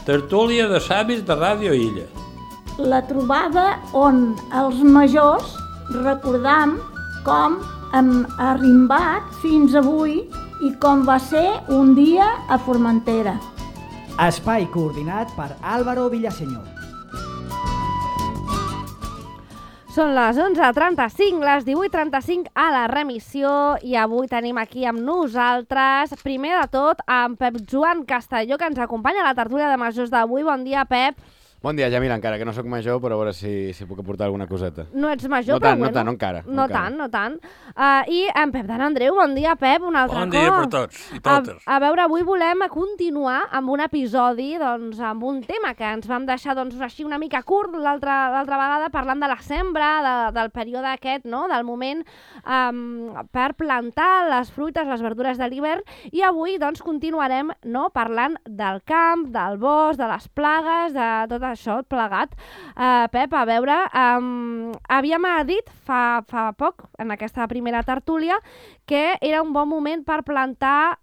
Tertúlia de savis de Ràdio Illa. La trobada on els majors recordam com hem arrimbat fins avui i com va ser un dia a Formentera. Espai coordinat per Álvaro Villaseñor. Són les 11:35, les 18:35 a la remissió i avui tenim aquí amb nosaltres, primer de tot, en Pep Joan Castelló, que ens acompanya a la tertúlia de majors d'avui. Bon dia, Pep. Bon dia, Jamila, encara que no sóc major, però a veure si puc aportar alguna coseta. No ets major, no però tant, bueno. No tant. No tant. I en Pep d'en Andreu, bon dia, Pep, un altre cop. Bon dia per tots i totes. A veure, avui volem continuar amb un episodi, doncs, amb un tema que ens vam deixar doncs, així una mica curt l'altra vegada, parlant de la sembra, del període aquest, no?, del moment per plantar les fruites, les verdures de l'hivern, i avui doncs, continuarem, no?, parlant del camp, del bosc, de les plagues, de tot això plegat. Pep, a veure, havíem dit fa poc, en aquesta primera tertúlia, que era un bon moment per plantar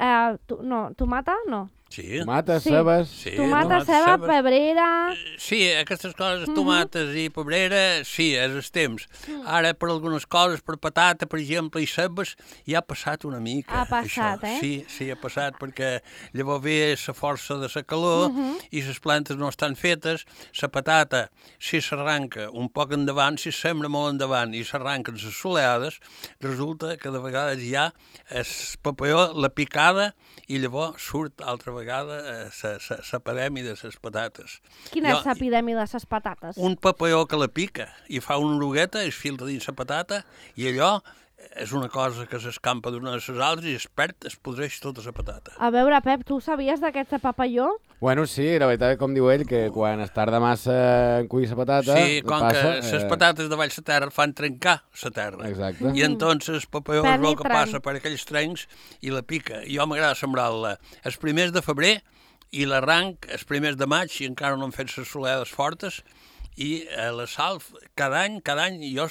tomata, no? Sí. Tomates, cebes... Sí, tomata, ceba, pebrera... Sí, aquestes coses, tomates i pebrera, sí, és el temps. Ara, per algunes coses, per patata, per exemple, i cebes, ja ha passat una mica. Ha passat, això. Sí, ha passat, perquè llavors ve la força de la calor i les plantes no estan fetes. La patata, si s'arranca un poc endavant, si sembra molt endavant i s'arranquen les soleades, resulta que de vegades ja es papalló la picada i llavors surt altra vegada l'epidèmia de les patates. Quina és l'epidèmia de les patates? Un papalló que la pica i fa una orugueta, es filtra dins la patata i allò és una cosa que s'escampa d'una de les altres i es perd, es podreix tota la patata. A veure, Pep, tu sabies d'aquest papalló? Bueno, sí, la veritat, com diu ell, que quan es tarda massa en collir la patata... Sí, com que les patates de baix la terra fan trencar la terra. Exacte. I entonces el papalló és el que passa per aquells trencs i la pica. Jo m'agrada sembrar-la els primers de febrer i l'arranc els primers de maig i encara no han fet les soleades fortes. I la sal, cada any, jo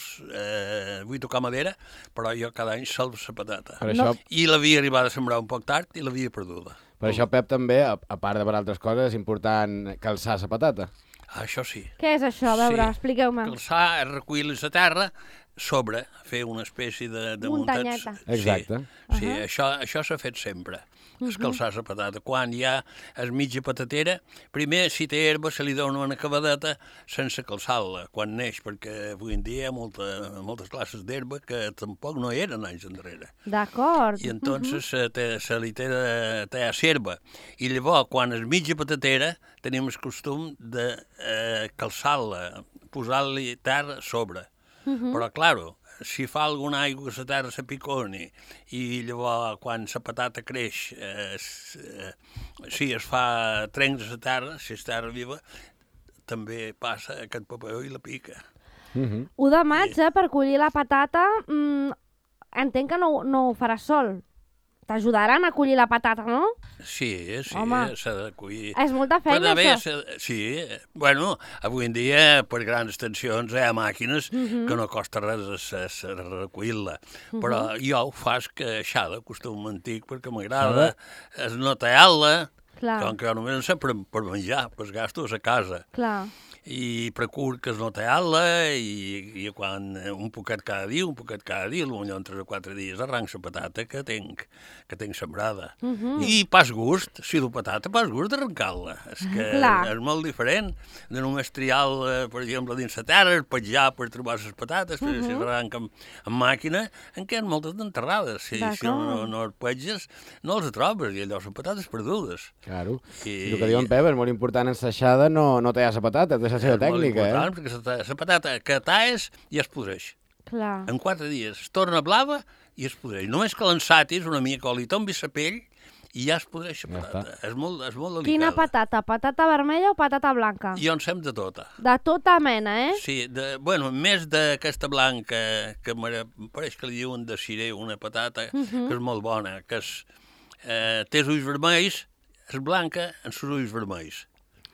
vull tocar madera, però jo cada any salvo la patata. Això... I l'havia arribat a sembrar un poc tard i l'havia perduda. Per això, Pep, també, a part de per altres coses, és important calçar la patata. Això sí. Què és això? A veure, expliqueu-me. Calçar és recollir la terra sobre, fer una espècie de muntanyeta. Exacte. Sí, això s'ha fet sempre. Escalçar la patata. Quan hi ha es mitja patatera, primer, si té herba, se li dona una acabadeta sense calçar-la quan neix, perquè avui en dia hi ha moltes classes d'herba que tampoc no eren anys enrere. D'acord. I entonces se li té a serva. I llavors, quan és mitja patatera, tenim el costum de calçar-la, posar-li terra sobre. Però, claro, si fa alguna aigua que la terra s'apiconi i llavors quan la patata creix es fa trencs a la terra, si és terra viva, també passa aquest papalló i la pica. 1 de maig, per collir la patata, entenc que no ho faràs sol. T'ajudaran a collir la patata, no? Sí, Home, s'ha de collir. És molta feina, això. Sí, bueno, avui en dia, per grans extensions, hi ha màquines que no costa res recollir-la. Però jo ho faig que aixada, costum antic, perquè m'agrada esnotear-la, com que jo només en sé per menjar, per gastos a casa. Clar. I procur que es notear-la i quan un poquet cada dia, potser en 3 o 4 dies arranc la patata que tinc sembrada. I pas gust, si du patata, pas gust d'arrencar-la. És que és molt diferent de només triar, per exemple, dins la terra, petjar per trobar les patates, si s'arranca amb màquina, en què hi ha moltes d'enterrades. Si no els petges, no els trobes, i allò són patates perdudes. Claro. I el que diuen, Pep, és molt important en l'aixada no tallar la patata, és la seva tècnica, molt important, perquè la patata que talles ja es podreix. Clar. En 4 dies es torna blava i es podreix. Només que l'ensatis una mica o li tombis la pell i ja es podreix la patata. És molt delicada. Quina patata? Patata vermella o patata blanca? Jo en sem de tota. De tota mena, Sí, més d'aquesta blanca, que pareix que li diuen de ciré, una patata que és molt bona, que té els ulls vermells, és blanca amb els ulls vermells.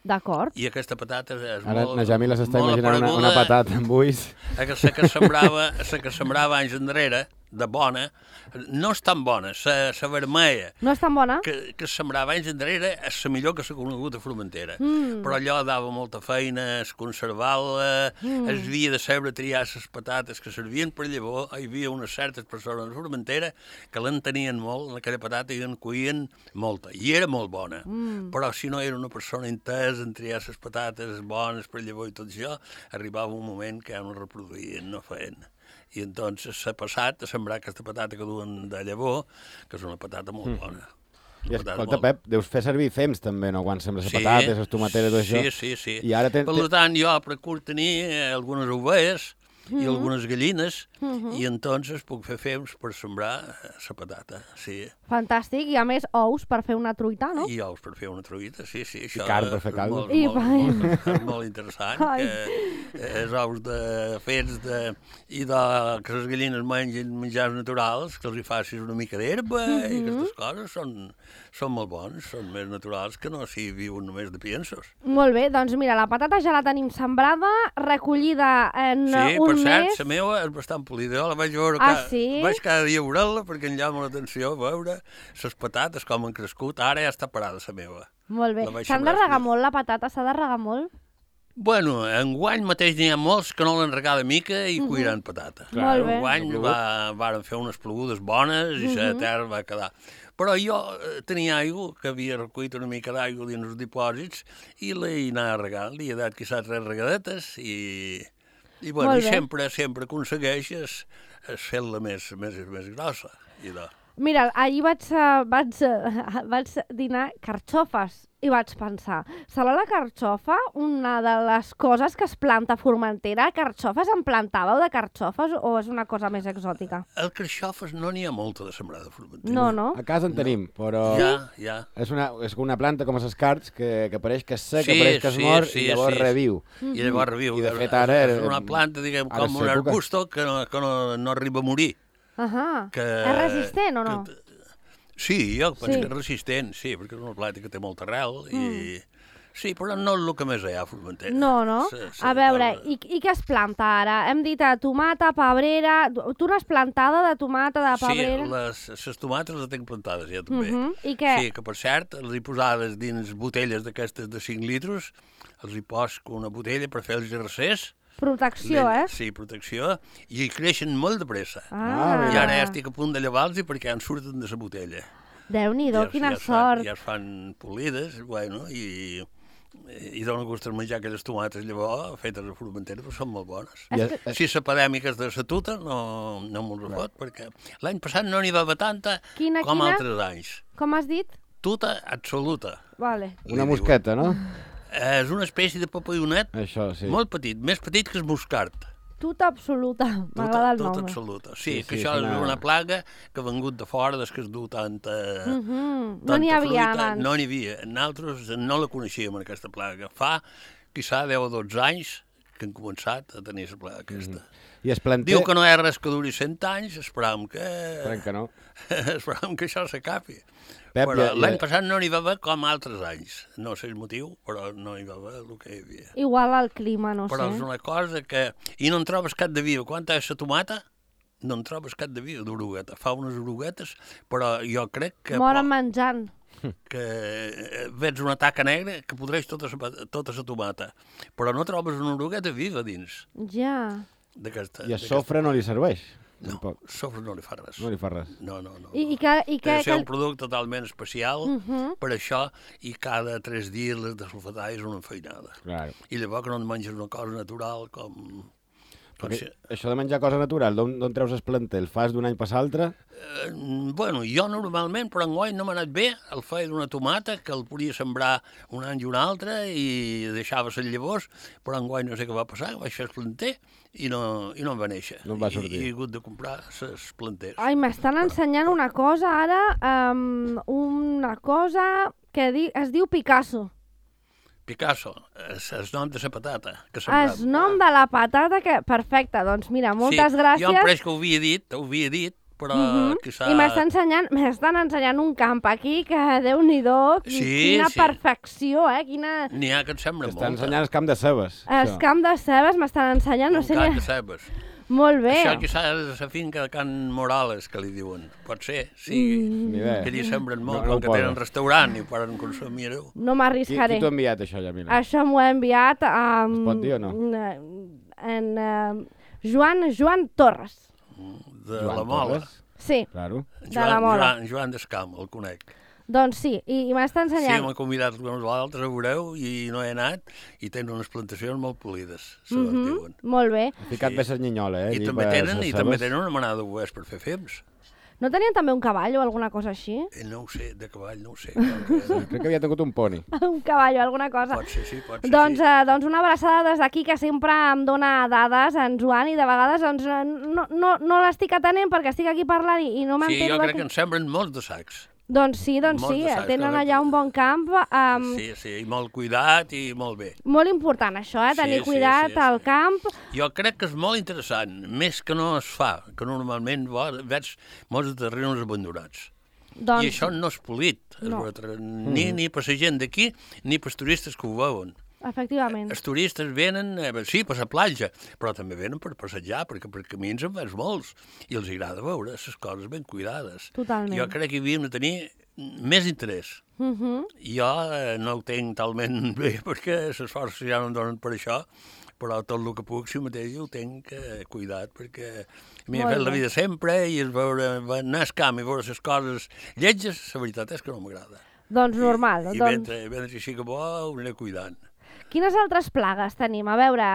D'acord. I aquesta patata és Ara, molt... Ara, Jamila s'està imaginant una patata amb ulls. La que sembrava anys enrere, de bona, no és tan bona. La vermella, No és tan bona? que es sembrava anys enrere, és la millor que s'ha conegut a Formentera. Però allò dava molta feina, es conservar-la, es havia de saber triar les patates que servien per llavor. Hi havia unes certes persones a Formentera que l'entenien molt, en aquella patata, i en cuien molta. I era molt bona. Però si no era una persona entesa en triar les patates bones per llavor i tot això, arribava un moment que ja no reproduïen, no feien. I entonces s'ha passat a sembrar aquesta patata que duen de llavor, que és una patata molt bona. I escolta, Pep, deus fer servir fems també, no?, quan sembres les patates, les tomateres, tot això. Sí. I ara Per tant, jo procuro tenir algunes ovelles i algunes gallines, i entonces puc fer fems per sembrar la patata, sí. Fantàstic, i a més ous per fer una truita, no? I ous per fer una truita, sí. Això carn per fer caldo. És molt interessant, Ai. que els ous fets i que les gallines mengin menjars naturals, que els hi facis una mica d'herba, i aquestes coses són molt bons, són més naturals que no si viuen només de piensos. Molt bé, doncs mira, la patata ja la tenim sembrada, recollida en Sí, un per cert, mes. la meva és bastant polida. Jo la vaig veure sí? vaig cada dia a veure-la perquè em llama l'atenció veure les patates com han crescut. Ara ja està parada la meva. Molt bé. La vaig S'han de sembrar regar així. molt la patata? S'ha de regar molt? Bueno, enguany mateix n'hi ha molts que no l'han regat de mica i cuiran patata. Molt bé. Enguany varen fer unes plogudes bones i la terra va quedar. Però jo tenia aigua, que havia recollit una mica d'aigua dins els dipòsits, i l'he anat regant. Li he dat quizás 3 regadetes i bueno, Molt i bé. sempre aconsegueixes fer-la més grossa. I Mira, ahir vaig dinar carxofes i vaig pensar, serà la carxofa una de les coses que es planta a Formentera? Carxofes en plantàveu de carxofes o és una cosa més exòtica? el carxofes no n'hi ha molta de sembrada de Formentera. No? A casa en tenim, però Ja. és una planta com els escarts que pareix que és seca, pareix que es mor i llavors reviu. I llavors reviu. I de fet ara és una planta, diguem, ara com un és època. arbusto que no arriba a morir. Ahà. Que, És resistent o no? Sí, jo penso Sí. que és resistent, sí, perquè és una planta que té molta arrel i... Sí, però no és el que més hi ha a Formentera. No? A veure, i què es planta ara? Hem dit tomata, pebrera... Tu n'has plantada de tomata, de pebrera? Sí, les tomates les tinc plantades ja també. I què? Sí, que per cert, les he posades dins botelles d'aquestes de 5 litres, els hi posc una botella per fer els gercers. Protecció, Sí, protecció, i creixen molt de pressa. Ah. I ara ja estic a punt de llevar-los perquè en surten de la botella. Déu-n'hi-do, quina ja sort. Ja es fan polides, bueno, i dona gust menjar aquelles tomates llavors fetes a Formentera, però són molt bones. Si l'epidèmica de la tuta no m'ho refot, perquè l'any passat no n'hi va haver tanta com altres anys. Com has dit? Tuta absoluta. Vale. Una mosqueta, no? És una espècie de papallonet Això, sí. molt petit, més petit que el moscart. Tuta absoluta. M'agrada el nom. Tuta absoluta. Sí, que sí, això és és una plaga que ha vengut de fora des que es du tanta No n'hi havia fruita. abans. No n'hi havia. Nosaltres no la coneixíem, aquesta plaga. Fa, quizà, 10 o 12 anys que han començat a tenir la plaga aquesta. I es planter... Diu que no hi ha res que duri 100 anys, esperam que no. esperam que això s'acabi. Pep, Però l'any passat no n'hi va haver com altres anys. No sé el motiu, però no hi va haver el que hi havia. Igual el clima, no Però és sé. una cosa que... I no en trobes cap de viu. Quan és la tomata, no en trobes cap de viu d'orugueta. Fa unes oruguetes, però jo crec que... Moren menjant. que veig una taca negra que podreix tota la tomata. Però no trobes una orugueta viva dins Ja. d'aquesta. I el sofre no li serveix? No, Tampoc. el sofre no li fa res. No li fa res. No. I què... Té de ser un producte totalment especial per això, i cada 3 dies les de sulfatar és una enfeinada. Claro. I llavors que no et menges una cosa natural com Perquè això de menjar cosa natural, d'on treus el planter? El fas d'un any per l'altre? Bueno, jo normalment, però enguany no m'ha anat bé el feia d'una tomata, que el podia sembrar un any i un altre i deixava les llavors, però enguany no sé què va passar, vaig fer el planter i no em va néixer. No em va sortir. I he hagut de comprar les planters. Ai, m'estan ensenyant una cosa ara, una cosa que es diu Picasso. Picasso, és el nom de la patata. Que El nom de la patata que... Perfecte, doncs mira, moltes gràcies. Jo em pareix que ho havia dit, però quizà... I m'estan ensenyant un camp aquí que, Déu-n'hi-do, quina perfecció, quina... N'hi ha que et sembla Estan molt. ensenyant el camp de cebes. El camp de cebes m'estan ensenyant, no sé... Un camp de cebes. Molt bé. Això que s'ha de la finca de Can Morales, que li diuen. Pot ser, sí. Ni Que allí sembren molt, No, no com que ho tenen poso. restaurant i ho poden consumir-ho. No Qui m'arriscaré. t'ho ha enviat, això, Yamila? Això m'ho ha enviat Es pot dir o no? Joan Torres. De Joan la Mola. Torres? Sí, Claro. de la Mola. Joan d'Escam, el conec. Doncs sí, i m'està Sí, ensenyant. m'ha convidat alguns altres, a veureu, i no he anat, i tenen unes plantacions molt polides, se les diuen. Molt bé. Ha ficat bé la nyinyola, I allí també per tenen, les i també cebes. tenen una manada de boers per fer fems. No tenien també un cavall o alguna cosa així? No ho sé, de cavall, no ho sé. Crec que havia tingut un poni. Un cavall o alguna cosa. Pot ser, sí, pot ser, Doncs, sí. doncs una abraçada des d'aquí que sempre em dona dades, en Joan, i de vegades doncs, no l'estic atenent perquè estic aquí parlant i no Sí, m'entero. jo crec que en sembren molts de sacs. Doncs sí, molts de sacs, tenen correcte. allà un bon camp. Sí, i molt cuidat i molt bé. Molt important això, tenir Sí, cuidat sí. al camp. Jo crec que és molt interessant, més que no es fa, que normalment veig molts de terrenys abandonats. Doncs, I això no és polit, No. ni per la gent d'aquí, ni per turistes que ho veuen. efectivament. Els turistes venen, sí, per la platja, però també venen per passejar, perquè per camins en veus molts, i els agrada veure les coses ben cuidades. Totalment. Jo crec que havíem de tenir més interès. Jo no ho tinc talment bé, perquè les forces ja no em donen per això, però tot el que puc, si mateix, ho tinc cuidat, perquè m'he Molt fet la bé. vida sempre, i anar al camp i veure les coses lletges, la veritat és que no m'agrada. Doncs normal. I Doncs, mentre així que bo, ho aniré cuidant. quines altres plagues tenim? A veure,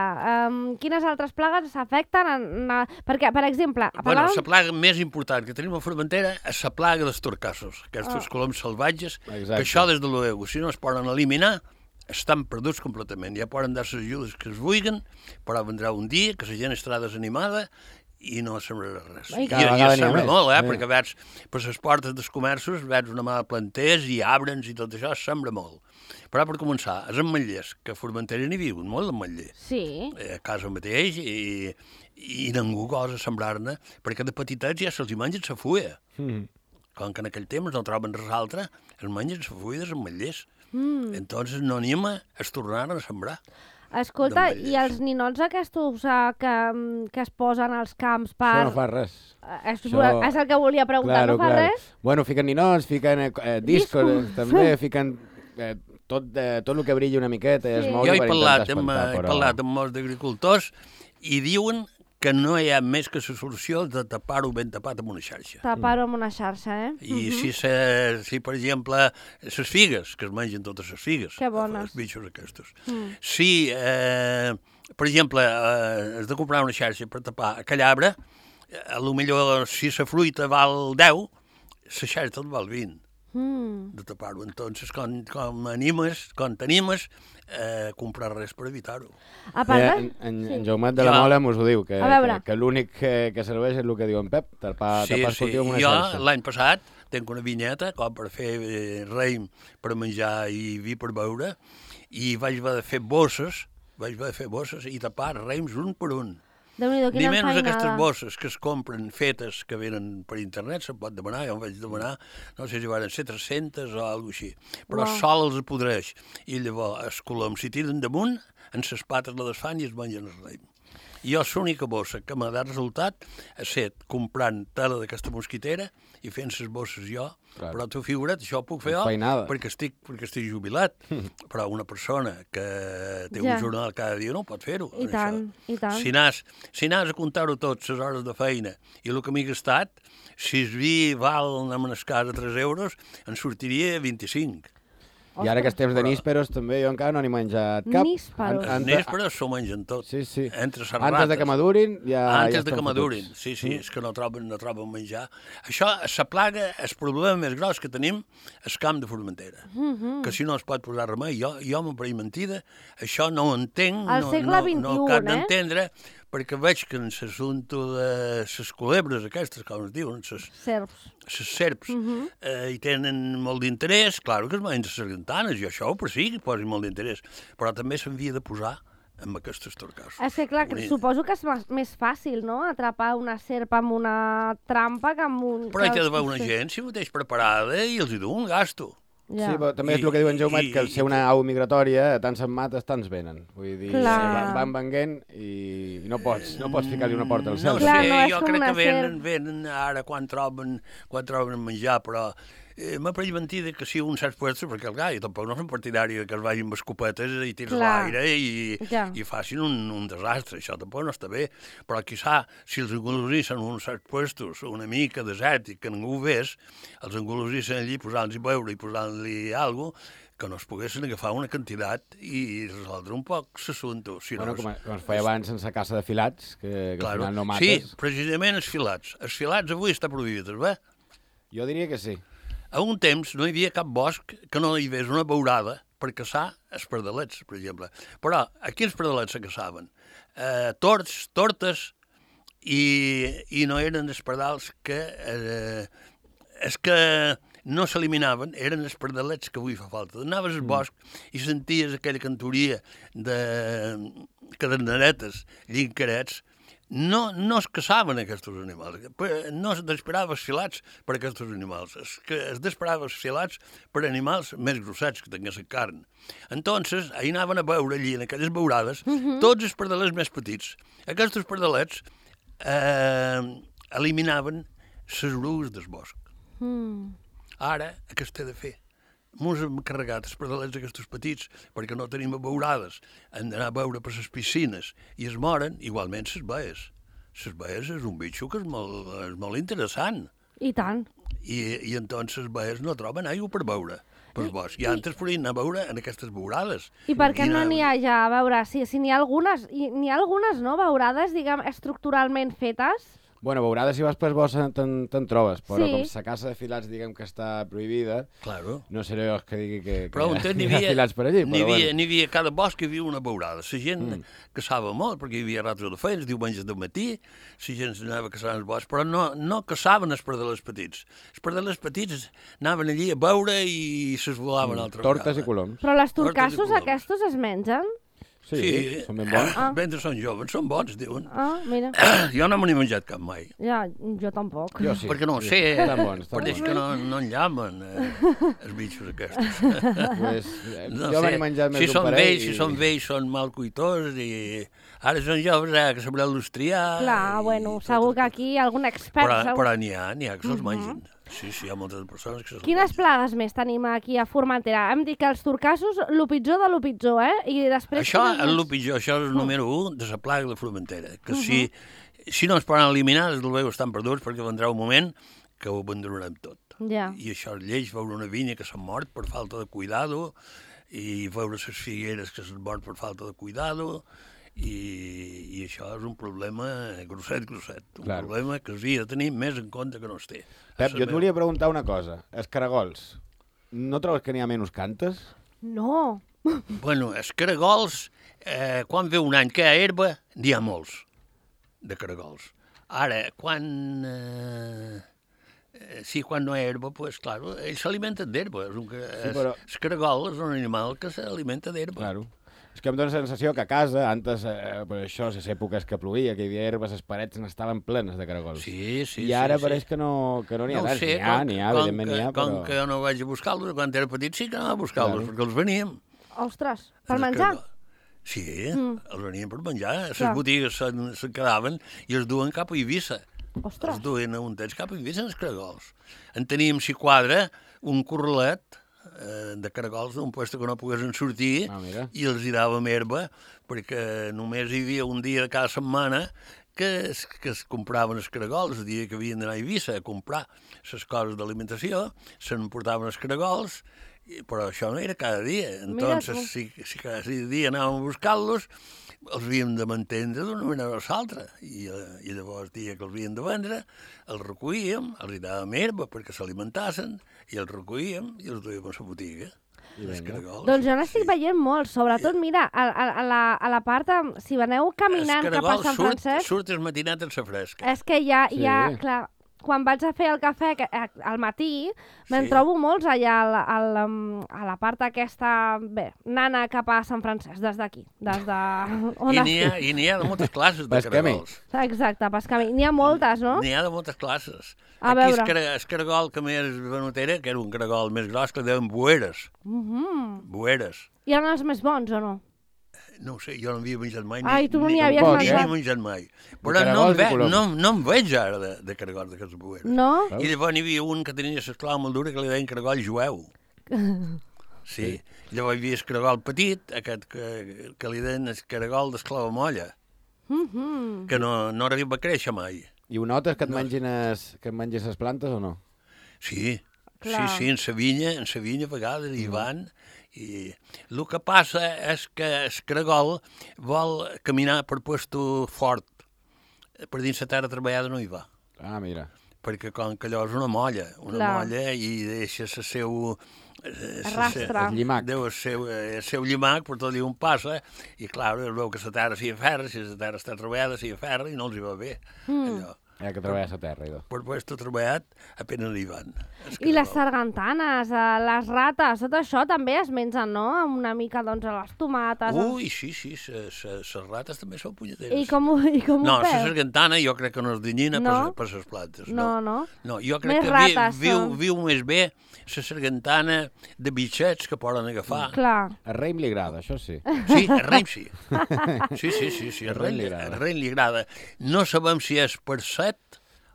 quines altres plagues s'afecten? Perquè, per exemple, Bueno, parlàvem... la plaga més important que tenim a Formentera és la plaga dels torcassos, aquests coloms salvatges, Exacte. que això des de l'UEU, si no es poden eliminar, estan perduts completament. Ja poden dar les ajudes que es vulguin, però vendrà un dia que la gent estarà desanimada i no sembrarà res. Ai, I cada vegada n'hi ha sembra més, molt, sí. perquè veig per les portes dels comerços, veig una mà de planters i arbres i tot això, sembra molt. Però per començar, els ametllers, que a Formentera n'hi viuen molt d'ametller. Sí, A casa mateix, i ningú gosa sembrar-ne, perquè de petitets ja se'ls hi mengen la fulla. Com que en aquell temps no troben res altre, es mengen la fulla dels ametllers. Entonces no anima a es tornaren a sembrar. escolta, d'ametllers. i els ninots aquests que es posen als camps per... Això no fa res. Això- És el que volia preguntar, no fa res? Bueno, fiquen ninots, fiquen discos, Discos. també, fiquen tot el que brilla una miqueta. Sí. Es Jo mouen he per parlat, intentar amb, espantar, he però... parlat amb molts d'agricultors i diuen que no hi ha més que la solució de tapar-ho ben tapat amb una xarxa. Tapar-ho amb una xarxa, eh? I si, per exemple, les figues, que es mengen totes les figues, Que bones. els bitxos aquests. Si, per exemple, has de comprar una xarxa per tapar aquell arbre, potser si la fruita val 10, la xarxa te'n val 20 de tapar-ho. Entonces, quan t'animes a comprar res per evitar-ho. A part de... En Jaumet de la Jo- Mola mos ho diu, que A veure. l'únic que serveix és el que diu en Pep, tapar el cultiu amb una Jo xarxa. l'any passat tinc una vinyeta com per fer raïm per menjar i vi per beure, i vaig haver de fer bosses, i tapar raïms un per un. Déu-n'hi-do, Ni quina menys enfeinada. aquestes bosses que es compren fetes, que venen per internet, se'n pot demanar, jo em vaig demanar, no sé si van ser 300 o alguna així, però Uau. sol els podreix, i llavors els coloms s'hi tiren damunt, en ses pates la desfan i es mengen el raïm. I jo l'única bossa que m'ha dat resultat ha estat comprant tela d'aquesta mosquitera i fent les bosses jo, Clar. però tu figura't, això ho puc fer jo Enfeinada. perquè estic jubilat, però una persona que té Ja. un jornal cada dia no pot fer-ho. I això. tant, i tant. Si anaves a comptar-ho tot, les hores de feina, i el que m'he gastat, si el vi val en una casa 3 euros, en sortiria 25. I ara que estem de nísperos, també jo encara no n'he menjat cap. Nísperos. Els nespres s'ho mengen tot. Sí, sí. Entre les Antes rates. de que madurin, ja Antes ja de que estan madurin, fotuts. sí, és que no troben menjar. Això, la plaga, el problema més gros que tenim és el camp de Formentera, que si no es pot posar remei. Jo m'ho pareix mentida, això no ho entenc, Al segle no cap XXI, d'entendre, perquè veig que en l'assumpte de les culebres aquestes, com es diuen, Serps. les serps, hi tenen molt d'interès, clar que es mengen les sargantanes, i això per sí que posi molt d'interès, però també s'havia de posar amb aquestes torcassos. És que, clar, suposo que és més fàcil, no?, atrapar una serp amb una trampa que amb un... Però hi ha d'haver una gent, si mateix preparada, i els hi du un gasto. Sí, però també és el que diu en Jaumet, que al ser una au migratòria, tants se'n mates, tants venen. Vull dir, van venguent i no pots ficar-li una porta al cel. No sé, jo crec que venen ara quan troben menjar, però m'ha pareix mentida que si uns certs puestos, perquè clar, jo tampoc no som partidari que es vagin amb escopetes i tirs a l'aire i facin un desastre, això tampoc no està bé, però quizà si els engolosissen uns certs puestos una mica desèrtic, que ningú ho vés, els engolosissen allí posant-los beure i posant-li alguna cosa, que no es poguessin agafar una quantitat i resoldre un poc l'assumpte. Si bueno, com es feia abans sense caça de filats, que al final no mates. Sí, precisament els filats. Els filats avui està prohibit, bé? Jo diria que sí. A un temps no hi havia cap bosc que no hi hagués una beurada per caçar els pardalets, per exemple. Però a quins pardalets se caçaven? Torts, tortes, i no eren els pardals que... és que no s'eliminaven, eren els pardalets que avui fa falta. Anaves al bosc i senties aquella cantoria de caderneretes, llincarets. No es caçaven aquests animals, no es desperava els filats per aquests animals, es desperava els filats per animals més grossets que tinguessin carn. Entonces, ahí anaven a veure allí, en aquelles beurades, tots els pardalets més petits. Aquests pardalets eliminaven les orugues del bosc. Ara, què s'ha de fer? Mos hem carregat els pardalets aquests petits perquè no tenim beurades. Han d'anar a veure per les piscines i es moren, igualment les baies. Les baies és un bitxo que és molt interessant. I tant. I entonces les baies no troben aigua per beure pel bosc. I antes podien anar a veure en aquestes beurades. I per què no n'hi ha ja, a veure, si n'hi ha algunes, no, beurades, diguem, estructuralment fetes? Bueno, beurades si vas per bosc te'n trobes, però com la caça de filats diguem que està prohibida, no seré jo els que digui que hi ha filats per allí. N'hi havia, cada bosc hi havia una beurada. La gent caçava molt, perquè hi havia rates de feines, diumenges de matí, la gent s'anava a caçar al bosc, però no caçaven els pardalets petits. Els pardalets petits anaven allí a veure i s'esvolaven altra vegada. Tortes i coloms. Però les torcassos aquests es mengen? Sí, són ben bons. Mentre són joves, són bons, diuen. Mira. Jo no me n'he menjat cap mai. Ja, jo tampoc. Jo sí. Perquè no ho sé, perquè és que no enllamen els bitxos aquests. Jo me n'he menjat més d'un parell. Si són vells, són mal cuitors i ara són joves, que sabreu-los triar. Clar, bueno, segur que aquí algun expert... Però n'hi ha que se'ls mengen. Sí, hi ha moltes persones que se'ls mengen. Quines plagues més tenim aquí a Formentera? Hem dit que els torcassos, lo pitjor de lo pitjor, I després... Això és el pitjor, això és el número 1 de la plaga de Formentera, que si no es poden eliminar, des del veu estan perduts, perquè vendrà un moment que ho abandonarem tot. I això és lleig, veure una vinya que s'ha mort per falta de cuidado, i veure les figueres que s'han mort per falta de cuidado, i això és un problema grosset, un problema que s'havia de tenir més en compte que no es té. Pep, jo et volia preguntar una cosa. Els caragols, no trobes que n'hi ha menys cantes? No. Bueno, els caragols, quan ve un any que hi ha herba, n'hi ha molts de caragols. Ara, quan no hi ha herba, doncs, clar, ells s'alimenten d'herba. El caragol és un animal que s'alimenta d'herba. Claro. És que em dóna la sensació que a casa, antes, per això, a les èpoques que plovia, que hi havia herbes, les parets n'estaven plenes de caragols. Sí. I ara pareix que no n'hi ha tants. N'hi ha, evidentment n'hi ha, però... Com que jo no vaig a buscar-los, quan era petit sí que anava a buscar-los, perquè els veníem. Ostres, per menjar? Sí, els veníem per menjar. Les botigues se'n quedaven i els duen cap a Eivissa. Ostres. Els duen a un temps cap a Eivissa, els caragols. En teníem, si quadra, un corralet de caragols d'un puesto que no poguessin sortir i els hi dàvem herba perquè només hi havia un dia de cada setmana que es compraven els caragols, el dia que havien d'anar a Eivissa a comprar les coses d'alimentació, se'n portaven els caragols, però això no era cada dia. Entonces, si cada dia anàvem a buscar-los, els havíem de mantendre d'una manera o l'altra. I llavors, el dia que els havíem de vendre, els recollíem, els hi dàvem herba perquè s'alimentassin, i els recollíem i els duíem a la botiga. Doncs jo n'estic veient molt, sobretot, mira, a la part, si veneu caminant cap a Sant Francesc... Surt el matinat en sa fresca. És que hi ha, clar, quan vaig a fer el cafè al matí, me'n trobo molts allà a la part aquesta, bé, nana cap a Sant Francesc, des d'aquí, des de on estic. I n'hi ha de moltes classes de caragols. Exacte, pescamí. N'hi ha moltes, no? N'hi ha de moltes classes. A Aquí veure. el caragol que més venut era, que era un caragol més gros, que deuen boeres. Boeres. Hi ha els més bons, o no? No ho sé, jo no havia menjat mai. Ai, tu no n'hi havies Ni menjat. menjat mai. Però no em veig ara de caragols d'aquests boeres. No? I llavors n'hi havia un que tenia l'esclau molt dura que li deien caragol jueu. Sí. Llavors hi havia el caragol petit, aquest que li deien el caragol d'esclava molla, que no arriba a créixer mai. I ho notes que et mengis les plantes o no? Sí, Clar. sí, en sa vinya a vegades hi van. I el que passa és que el caragol vol caminar per puesto fort. Per dins la terra treballada no hi va. Ah, mira. Perquè com que allò és una molla i deixa el seu... Rastre. El llimac. Deu el seu llimac per tot allà on passa i clar, es veu que la terra s'hi aferra, si la terra està treballada s'hi aferra i no els hi va bé. Allò. Que treballes a terra, idò. Per puesto treballat apenas hi van. I les sargantanes, les rates, tot això també es mengen, no? Una mica, doncs, a les tomates... Ui, sí, les rates també són punyeteres. I com ho No, la feu? sargantana jo crec que no és danyina per les plantes. No. No, jo crec Més que rates viu més bé la sargantana de bitxets que poden agafar. Clar. A Reim li agrada, això sí. Sí, a Reim sí. Sí, a Reim li agrada. No sabem si és per set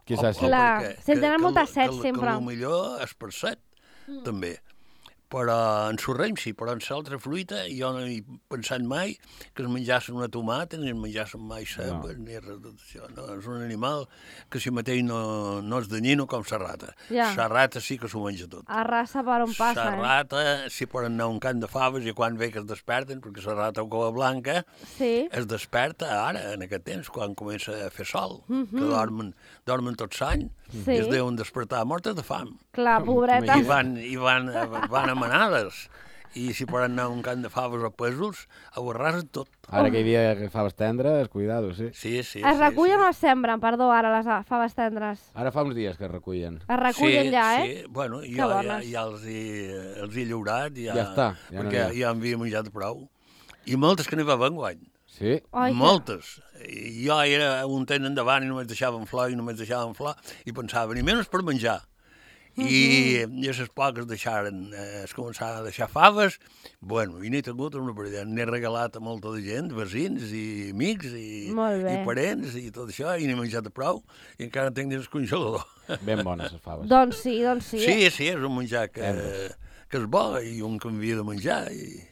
Qui sap si... Clar, se'n tenen moltes set sempre. Que potser és per set, també. Però en Sorrem sí, però en l'altra fruita jo no he pensat mai que es menjassin una tomata, ni es menjassin mai cebes, ni res de tot això. No, és un animal que si mateix no és danyino com la rata. Ja. La rata sí que s'ho menja tot. Arrasa per on passa, La rata, si poden anar a un camp de faves i quan ve que es desperten, perquè la rata o cova blanca Sí. es desperta ara, en aquest temps, quan comença a fer sol, que dormen tot l'any, Sí. i es deuen despertar mortes de fam. Clar, pobretes. I van a manades. I si poden anar a un camp de faves o pèsols, ho arrasen tot. Ara que hi havia faves tendres, cuidado, sí. Sí. Es recullen o es sembren, perdó, ara les faves tendres? Ara fa uns dies que es recullen. Es recullen ja, eh? Sí, bueno, Que jo bones. ja els he lliurat, Ja està, ja no perquè n'hi ha. ja en havia menjat prou. I moltes que n'hi va enguany. Sí? Oi, que- Moltes. I jo era un temps endavant i només deixaven flor i pensava, ni menys per menjar. I les poques deixaren, es començaven a deixar faves, bueno, i n'he tingut una parella, n'he regalat a molta de gent, veïns i amics i parents i tot això, i n'he menjat prou, i encara en tinc dins el congelador. Ben bones les faves. Doncs sí. Sí, és un menjar que és bo i un que havia de menjar, i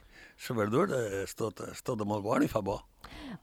la verdura és tota molt bona i fa bo.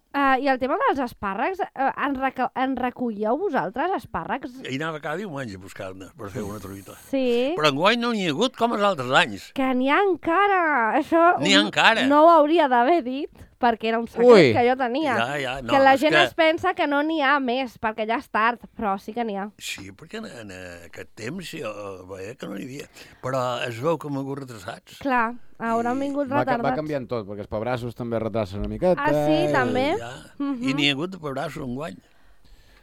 I el tema dels espàrrecs, en recolleu vosaltres espàrrecs? I anava cada diumenge a buscar-ne per fer una truita. Sí. Però enguany no n'hi ha hagut com els altres anys. Que n'hi ha encara! Això N'hi ha encara. no ho hauria d'haver dit, perquè era un secret que jo tenia. Ja, no, que la és gent es pensa que no n'hi ha més, perquè ja és tard, però sí que n'hi ha. Sí, perquè en aquest temps jo veia que no n'hi havia. Però es veu que hem hagut retrasats. Clar, hauran vingut retardats. Va canviant tot, perquè els pebrassos també retracen una miqueta. Ah, sí, també? Ja. I n'hi ha hagut de pebrassos enguany.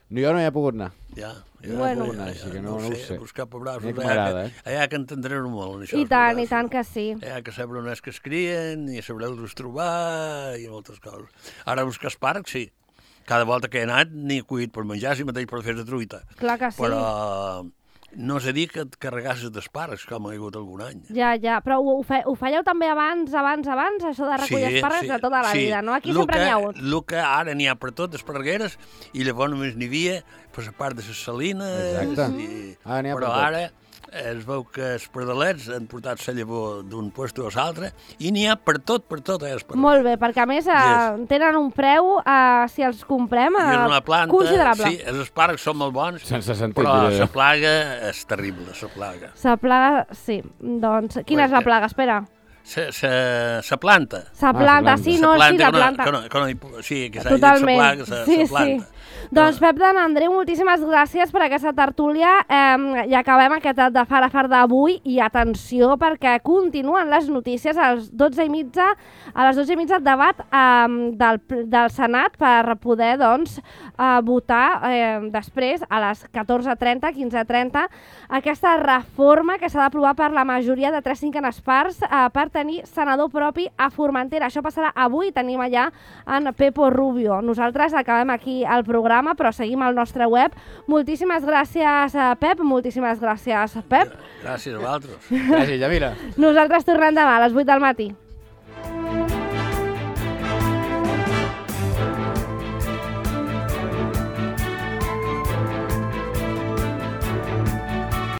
Jo no hi he pogut anar. Ja, Bueno. Així que no ho sé. Buscar pebrassos. Mira que m'agrada, Allà que entendreu molt, en això. I tant que sí. Allà que sabreu on és que es crien, i sabreu-los trobar, i moltes coses. Ara buscar espàrrecs, sí. Cada volta que he anat n'he cuit per menjar, si mateix per fer de truita. Clar que sí. Però no sé dir que et carregasses d'espàrrecs, com ha hagut algun any. Ja, però ho fèieu també abans, això de recollir espàrrecs de tota la vida, no? Aquí sempre n'hi ha hagut. El que ara n'hi ha per tot, esparregueres, i llavors només n'hi havia per la part de les salines. Exacte. Ara n'hi ha per però tot. ara es veu que els pardalets han portat la llavor d'un puesto a l'altre i n'hi ha per tot, Molt bé, perquè a més tenen un preu, si els comprem, I és una planta, considerable. sí, els espàrrecs són molt bons, Sense sentit, però diré. la plaga és terrible, la plaga. La plaga, sí. Doncs, quina és la plaga? Espera. La planta. La planta, sí, no, sí, la planta. Sí, que s'ha dit la Totalment. plaga, la planta. Doncs Pep d'en Andreu, moltíssimes gràcies per aquesta tertúlia i acabem aquest de Far a Far d'avui i atenció perquè continuen les notícies a les 12:30 debat del Senat per poder doncs votar després a les 14:30, 15:30 aquesta reforma que s'ha d'aprovar per la majoria de 3/5 parts per tenir senador propi a Formentera. Això passarà avui, tenim allà en Pepo Rubio. Nosaltres acabem aquí el programa, però seguim al nostre web. Moltíssimes gràcies, Pep. Moltíssimes gràcies, Pep. Gràcies a vosaltres. Gràcies, Llavira. Nosaltres tornem demà a les 8 del matí.